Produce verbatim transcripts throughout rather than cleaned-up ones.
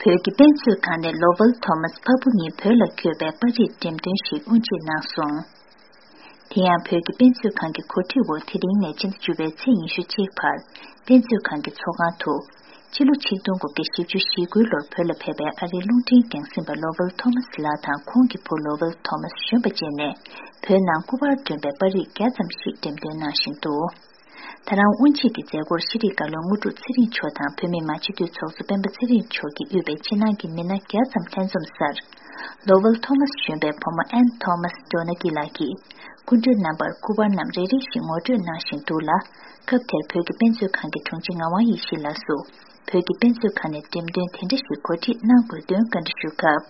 བོད་ཀྱི་དཔེ་མཛོད་ཁང་ནས་ལོ་ཝེལ་ཐོ་མཱས་ཕ་བུ་གཉིས་བོད་ལ་བསྐྱོད་པའི་པར་རིས་འགྲེམས་སྟོན་ཞིག་དབུ་འབྱེད་གནང་སོང་། དེ་ཡང་བོད་ཀྱི་དཔེ་མཛོད་ཁང་གི་གོ་སྒྲིག་འོག་དེ་རིང་ནས་ཕྱི་ཟླ་བཅུ་པའི་ཚེས་ཉི་ཤུ་གཅིག་བར་དཔེ་མཛོད་ཁང་གི་ཚོགས་ཁང་དུ། ཕྱི་ལོ་ཆིག་སྟོང་དགུ་བརྒྱ་བཞི་བཅུ་ཞེ་དགུའི་ལོར་བོད་ལ་ཕེབས་པའི་ཨ་རིའི་རླུང་འཕྲིན་རྒྱང་སྲིང་པ་ལོ་ཝེལ་ཐོ་མཱས་ལགས་དང་ཁོང་གི་བུ་ལོ་ཝེལ་ཐོ་མཱས་གཞོན་པ་བཅས་ནས་བོད་ནང་སྐུ་པར་སྒྲོན་པའི་པར་རིས་བརྒྱ་ཙམ་ཞིག་འགྲེམས་སྟོན་གནང་བཞིན་འདུག། ད་རང་དབུ་འབྱེད་ཀྱི་མཛད་སྒོར་ཤེས་རིག་བཀའ་བློན་དངོས་གྲུབ་ཚེ་རིང་མཆོག་དང་བོད་མིའི་མང་སྤྱི་འཐུས་ཚོགས་གཙོ་སྤེན་པ་ཚེ་རིང་མཆོག་གིས་དབུས་པའི་ཕྱི་ནང་གི་མི་སྣ་བརྒྱ་ཙམ་ལྷན་འཛོམས་སར། ལོ་ཝེལ་ཐོ་མཱས་གཞོན་པའི་བུ་མོ་ཨན་ཐོ་མཱས་ཌོ་ན་གི་ལགས་ཀྱིས་སྐུ་མགྲོན་རྣམ་པར་སྐུ་པར་རྣམས་རེ་རེ་བཞིན་ངོ་སྤྲོད་གནང་བཞིན་འདུག་ལ། སྐབས་དེར་བོད་ཀྱི་དཔེ་མཛོད་ཁང་གི་དྲུང་ཆེ་ངག་དབང་ཡེ་ཤེས་ལགས་སུ། བོད་ཀྱི་དཔེ་མཛོད་ཁང་ནས་འགྲེམས་སྟོན་དེ་འདྲ་ཞིག་གོ་སྒྲིག་གནང་དགོས་དོན་བཀའ་འདྲི་ཞུས་སྐབས།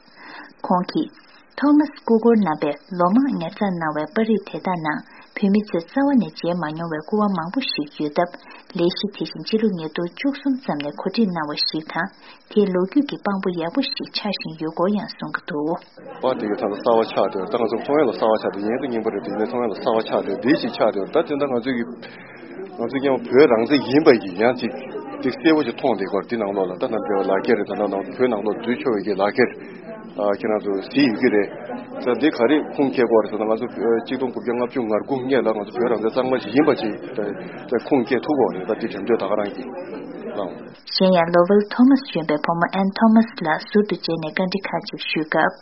ཁོང་གིས། ཐོ་མཱས་སྐུ་འཁོར་རྣམ་པས་ལོ་མང་ཉར་ཚགས་གནང་བའི་པར་རིས་དེ་དག་ནང་བོད་མི་ཚོས་རྩ་བ་ནས་མཇལ་མ་མྱོང་བའི་སྐུ་པར་མང་པོ་ཞིག་ཡོད་སྟབས། ལས་གཞི་དེ་བཞིན་སྤྱི་ལོ་ཉིས་སྟོང་བཅུ་གསུམ་ཙམ་ནས་གོ་སྒྲིག་གནང་བ་ཞིག་དང་། དེའི་ལོ་རྒྱུས་ཀྱི་དཔང་པོ་ཡག་པོ་ཞིག་ཆགས་བཞིན་ཡོད་སྐོར་ཡང་གསུང་གི་འདུག། པར་དེ་གའི་ཐང་གསར་བ་ཆགས་བསྡད་ཡོད། ད་ང་ཚོ་མཐོང་ཡ་ལ་གསར་བ་ཆགས་བསྡད་ཡོད། ཡིན་ད་རྙིང་པ་རེད། དེ་ནས་མཐོང་ཡ་ལ་གསར་བ་ཆགས་བསྡད་ཡོད། ད་དེ་འདྲ་ང་ཚོའི་གི་ང་ཚོ་ཀྱང་བོད་རང་བཙན་ཡིན་པ་ཡིན་ཡང་ཅིག་ཅིག་གསལ་པོ་ཅིག་མཐོང་བསྡད་ཡོད། འདི་ནང་ལོགས་ལ་ད་ནང་འབྲེལ་བ་ལག་ཁྱེར་རེད། ད་ནང་ནང་བོད་ནང་ལོགས་འཛུལ་ཆོག་པའི་གི་ལག་ཁྱེར་ཨ་ཁྱེད་རང་ཚོ་གཟིགས་ཡོད་ཀྱི་རེད། ད་འདི་ག་རེ་ཁུངས་སྐྱེལ་དགོས་རེད་ཟེར་ན། ང་ཚོ་ཆིག་སྟོང་དགུ་བརྒྱ་ལྔ་བཅུ་ང་དགུ་སྔོན་ལ་ང་ཚོ་བོད་རང་བཙན་གཙང་མ་ཞིག་ཡིན་པ་ཅིག་ད་ཁུངས་སྐྱེལ་ཐུབ་དགོས་རེད། ད་འདི་འགྲེམས་སྟོན་ད་ག་རང་གིས་གནང་། གཞན་ཡང་ལོ་ཝེལ་ཐོ་མཱས་གཞོན་པའི་བུ་མོ་ཨན་ཐོ་མཱས་ལགས་ཟུར་དུ་མཇལ་ནས་བཀའ་འདྲི་ཁག་ཅིག་ཞུས་སྐབས།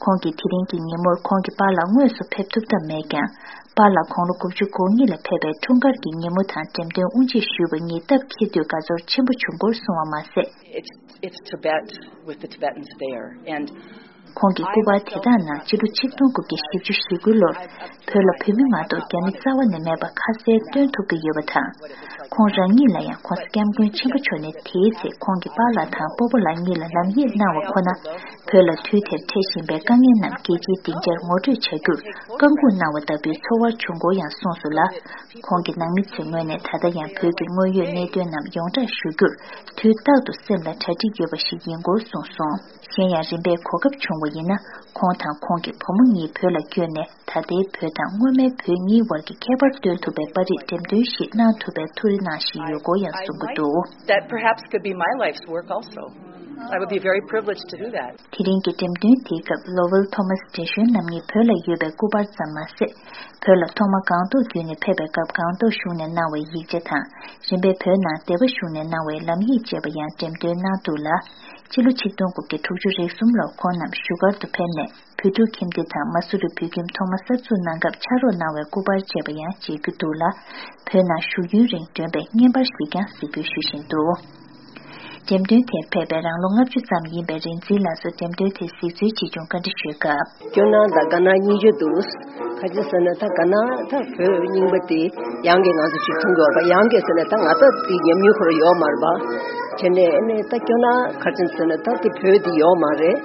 ཁོང་གིས་དེ་རིང་གི་ཉིན་མོར་ཁོང་གི་པཱ་ལགས་དངོས་སུ་ཕེབས་ཐུབ་ཐབས་མེད་ཀྱང་། པཱ་ལགས་དགུང་ལོ་དགུ་བཅུ་གོ་གཉིས་ལ་ཕེབས་པའི་འཁྲུངས་སྐར་གྱི་ཉིན་མོ་དང་འགྲེམས་སྟོན་དབུ་འབྱེད་ཞུས་པ་གཉིས་སྟབས་འཁེལ་དུས་དགའ་ཚོར་ཆེན་པོ་བྱུང་སྐོར་གསུངས་པ་མ་ཟད། It's, it's Tibet with the Tibetans there. And ཁོང་གི་སྐུ་པར་དེ་དག་ནང་སྤྱི་ལོ་ཆིག་སྟོང་དགུ་བརྒྱ་བཞི་བཅུ་ཞེ་དགུ་ལོར་བོད་ལ་བོད་མི་མ་གཏོགས་རྒྱ་མི་རྩ་བ་ནས་མེད་པ་ཁ་གསལ་སྟོན་ཐུབ་ཀྱི་ཡོད་པ་དང་། ཁོང་རང་ཉིད་ལ་ཡང་༧གོང་ས་༧སྐྱབས་མགོན་ཆེན་པོ་མཆོག་ནས་དེའི་ཚེ་ཁོང་གི་པཱ་ལགས་དང་སྤོ་བོ་ལགས་གཉིས་ལ་ལམ་ཡིག་གནང་བ་ཁོ་ན། བོད་ལ་དུས་དེར་འཕྲད་བཞིན་པའི་དཀའ་ངལ་རྣམས་རྒྱལ་སྤྱིའི་སྡིངས་ཆར་ངོ་སྤྲོད་བྱ་རྒྱུར་བཀའ་འགུག་གནང་བ་ལྟ་བུའི་ཚོར་བ་བྱུང་སྐོར་ཡང་གསུངས་སོང་ལ། ཁོང་གི་ནང་མི་ཚོའི་ངོས་ནས་ད་ལྟ་ཡང་བོད་ཀྱི་དངོས་ཡོད་གནད་དོན་རྣམས་ཡོངས་གྲགས་ཞུ་རྒྱུར་དུས་རྟག་ཏུ་སེམས་ལ་གྲ་སྒྲིག་ཡོད་པ་ཞིག་ཡིན་སྐོར་གསུངས་སོང་། གཞན་ཡང་རིམ་པས་གོ་སྐབས་བྱུང་བ་ཡིན་ན། ཁོང་དང་ཁོང་གི་བུ་མོ་གཉིས་བོད་ལ་བསྐྱོད་ནས། ད་ལྟའི་བོད་དང་སྔོན་མའི་བོད་གཉིས་བར་གྱི་ཁྱད་པར་སྟོན་ཐུབ་པའི་པར་རིས་འགྲེམས་སྟོན་ཞིག་གནང་ཐུབ་པའི་ཐུགས་རེ་གནང་བཞིན་ཡོད་སྐོར་ཡང་གསུང་གི་འདུག། That perhaps could be my life's work also. I would be very privileged to do that. དེ་རིང་གི་འགྲེམས་སྟོན་དེའི་སྐབས་ལོ་ཝེལ་ཐོ་མཱས་བགྲེས་གཞོན་རྣམ་གཉིས་བོད་ལ་ཡོད་པའི་སྐུ་པར་ཙམ་མ་ཟད། བོད་ལ་ཐོག་མ་སྒང་ཏོག་བརྒྱུད་ནས་ཕེབས་པའི་སྐབས་སྒང་ཏོག་གཞུང་ནས་གནང་བའི་ཡིག་ཆ་དང་། རིམ་པས་བོད་ནང་སྡེ་པ་གཞུང་ནས་གནང་བའི་ལམ་ཡིག་བཅས་པ་ཡང་འགྲེམས་སྟོན་གནང་འདུག་ལ། སྤྱི་ལོ་ཆིག་སྟོང་དགུ་བརྒྱ་དྲུག་ཅུ་རེ་གསུམ་ལོར་ཁོང་རྣམས་བཞུགས་སྒར་དུ་ཕེབས་ནས། བོད་ཕྲུག་ཁྱིམ་སྡེ་དང་མ་སུ་རི་བོད་ཁྱིམ་ཐོག་མ་གསར་འཛུགས་གནང་སྐབས་ཕྱག་རོགས་གནང་བའི་སྐུ་པར་བཅས་པ་ཡང་མཇལ་རྒྱུ་འདུག་ལ། བོད་ནང་བཞུགས་ཡུན་རིང་བསྒྲོན་པའི་བརྙན་པར་ཞིག་ཀྱང་གཟིགས་འབུལ་ཞུ་བཞིན་འདུག། འགྲེམས་སྟོན་དེར་ཕེབས་པའི་རང་ལོ་ལྔ་བཅུ་ཙམ་ཡིན་པའི་རིག་འཛིན་ལགས་སུ་འགྲེམས་སྟོན་དེ་གཟིགས་འཚོལ་བྱེད་བྱུང་བཀའ་འདྲི་ཞུས་སྐབས། སྐྱོ་སྣང་དང་དགའ་སྣང་གཉིས་ཆ་འདུག། ག་ཅི་ཟེར་ན་ད་དགའ་སྣང་ད་བོད་རྙིང་པ་དེ་ཡང་གི་ང་ཚོ་ཅིག་མཐོང་གི་ཡོད་པ། ཡང་གི་ཟེར་ན་ད་ང་ད་དེ་ཉམས་མྱོང་ཁོ་རང་ཡོད་མ་རེད་པ། བྱས་ནས་ཨ་ནི་ད་སྐྱོ་སྣང་ག་ཅི་ཟེར་ན་ད་དེ་བོད་དེ་ཡོད་མ་རེད།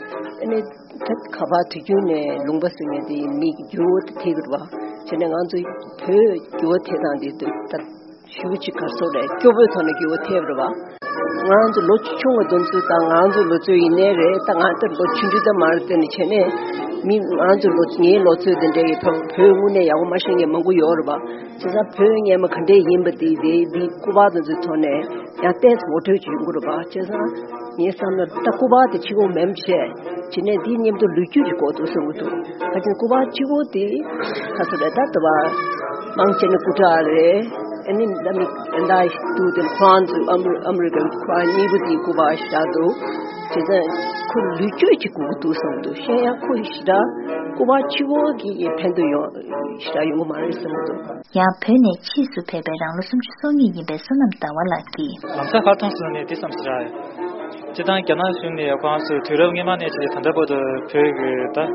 ཨ་ནི། ད་ཁ་པར་དུས་རྒྱུན་ནས་ལུང་པ་ཟེར་མཁན་དེ་མི་འགྱུར་བ་དེ་ཐེབས་ཀྱི་རེད་པ། བྱས་ནས་ང་ཚོ་བོད་འགྱུར་བ་ཐེབས་སྟངས་དེ་ད་ཞེ་པོ་ཅིག་ག་རེ་ཟེར་དགོས་རེད། སྐྱོ་པོའི་ཐོག་ནས་འགྱུར་བ་ཐེབས་རེད་པ། ང་ཚོ་ལོ་ཆུང་བ་དེ་ཚོ་དང་ང་ཚོ་ལོ་ཚོད་ཡིན་ནའི་རེད། ད་ང་ལྟར་ལོ་ཆུང་ཆུང་ཙམ་མ་རེད། དེ་ནི་བྱས་ནས་མི་ང་ཚོ་ལོ་ངའི་ལོ་ཚོད་དེ་འདྲ་ཡི་བོད་དངོས་གནས་ཡག་པོ་མ་ཤེས་མཁན་མང་པོ་ཡོད་རེད་པ། བྱས་ཙང་བོད་སྔོན་མ་ག་འདྲས་ཡིན་པ་དེ་དེ་འདི་སྐུ་པར་དེ་ཚོའི་ཐོག་ནས་ཡང་ཏོག་ཙམ་ངོ་སྤྲོད་བྱེད་དགོས་རེད་པ། བྱས་ཙང་ངའི་བསམ་ན་ད་སྐུ་པར་དེ་གཅིག་པོ་མིན་པ་བྱས། བྱས་ནས་འདིའི་མཉམ་དུ་ལོ་རྒྱུས་ཀྱི་སྐོར་དུ་གསུང་གི་འདུག། ད་ཅི་སྐུ་པར་གཅིག་པོ་དེ་ག་ཚོད་རེད། ད་ལྟ་བ་མང་ཆེ་ནི་སྐུ་དྲག་རེད། ཨ་ནི་ད་མི་ད་འདུག་དེ་ཁོ་རང་ཚོ་ཨ་མི་ཨ་མི་རི་ཀའི་ཁོ་རང་གཉིས་པོ་དེའི་སྐུ་པར་བཞག་འདུག། བྱས་ཙང་ཁོ་ལོ་རྒྱུས་ཀྱི་སྐོར་དུ་གསུང་གི་འདུག། གཞན་ཡང་ཁོ་ཞེ་དྲག་སྐུ་པར་གཅིག་པོ་གི་ཕན་ཐོགས་ཡོང་ཞེ་དྲག་ཡོང་གི་མ་རེད་གསུང་གི་འདུག། ཡང་བོད་ནས་ཕྱིས་སུ་ཕེབས་པའི་རང་ལོ་སུམ་ཅུ་སོ་གཉིས་ཡིན་པའི་བསོད་ནམས་ཟླ་བ་ལགས་ཀྱིས། ལམ་སང་ཧ་ཐོངས་སོང་ནས་འདི་བསམ་ཟེར། སྤྱིར་བཏང་རྒྱ་ནག་གཞུང་ནས་ཁོ་རང་ཚོས་དུས་རབས་སྔོན་མ་ནས་བྱས་ད་ལྟ་བར་དུ་བོད་ཀྱི་ད་བདག་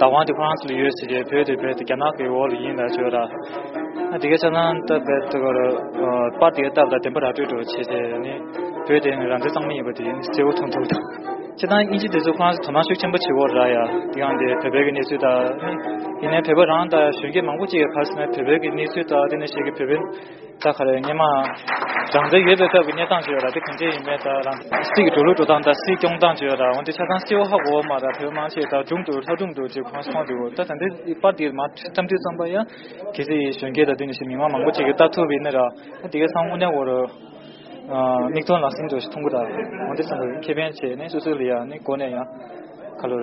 དབང་དེ་ཁོ་རང་ཚོ་ལ་ཡོད་ཟེར་གྱི། བོད་དེ་བོད་དེ་རྒྱ་ནག་གི་འོག་ལ་ཡིན་ལ་བརྗོད་ར། ཨ་དེ་གའི་ཆ་ཚང་ད་བོད་དེ་གར་པར་དེ་གའི་སྟབས་ལ་བདེན་པ་ར་སྤྲོད་འགྲོ་བྱས་ཏེ་ནི་བོད་དེ་ནི་རང་བཙན་གཙང་མ་ཡིན་པ་དེ་ནི་གསལ་བོ་མཐོང་ཐུབ་དང་། སྤྱིར་བཏང་དབྱིན་ཇི་དེ་ཚོ་ཁོ་རང་ཚོ་དོ་སྣང་ཤུགས་ཆེན་པོ་བྱེད་འོག་ར་ཡ། དེ་ཡང་དེ་བོད་པའི་གི་གནས་ཚུལ་དང་ནི་ཡིན་ནའི་བོད་པ་རང་དང་གཞོན་སྐྱེས་མང་པོ་ཅིག་གིས་ག་རེ་ཟེར་ན་བོད་པའི་གི་གནས་ཚུལ་དང་དེ་ནས་ཞིག་གི་བོད་པའི། ད་ག་རེ་སྔོན་མ་རང་བཙན་ཡོད་པའི་སྐབས་ཀྱི་གནས་སྟངས་ཅིག་ཡོད་ར། དེ་ག་འདྲས་ཡིན་མིན་དང་རང་སྲིད་ཀྱི་འགྲོ་ལུགས་འགྲོ་སྟངས་དང་སྲིད་སྐྱོང་སྟངས་ཅིག་ཡོད་ར། འོན་ཏེ་ཆ་ཚང་གསལ་བོ་ཧ་གོ་བ་མ་ར། བོད་མང་ཆེ་ད་སྒྲུང་དུ་ལྷ་སྒྲུང་དུ་ཅིག་ཁོང་མཐོང་འདུག། ད་ད་འདི་པར་འདི་མར་བཀྲམ་དུས་ཙམ་པ་ཡང་གལ་སྲིད་གཞོན་སྐྱེས་དང་དེ་ནས་ཞིག་མི་མང་མང་པོ་ཅིག་གིས་ལྟ་ཐུབ་པ་ཡིན་ན་ར། ད་དེ་གའི་ཚང་དངོས་གནས་འོ་ར། ཨ་མིག་མཐོང་ལག་ཟིན་འདྲ་ཞིག་མཐོང་གི་ར། འོན་ཏེ་བསམ་པ་ཁེ་ཕན་བྱས་ནས་སོ་སོ་ལ་ཡང་ནི་གོ་ནས་ཡང་ཁ་ལོར་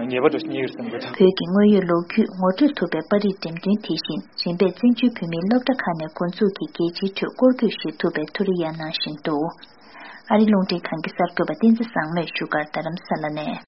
ཉེས་པ་འདྲ་ཞིག་རྙེད་ཡོད་བསམ་གི་ར། བོད་ཀྱི་དངོས་ཡོད་ལོ་རྒྱུས་ངོ་སྤྲོད་ཐུབ་པའི་པར་རིས་འགྲེམས་སྟོན་དེ་བཞིན་རིམ་པས་བཙན་བྱོལ་བོད་མིའི་སློབ་གྲྭ་ཁག་ནས་འགོ་འཛུགས་ཀྱིས་རྒྱལ་སྤྱིའི་ཁྲོད་སྐོར་སྐྱོད་ཞིག་ཐུབ་པའི་ཐུགས་རེ་ཡང་གནང་བཞིན་འདུག་ཨ་རི་རླུང་འཕྲིན་ཁང་གི་གསར་འགོད་པ་བསྟན་འཛིན་བཟང་མོས་བཞུགས་སྒར་རྡ་རམ་ས་ལ་ནས།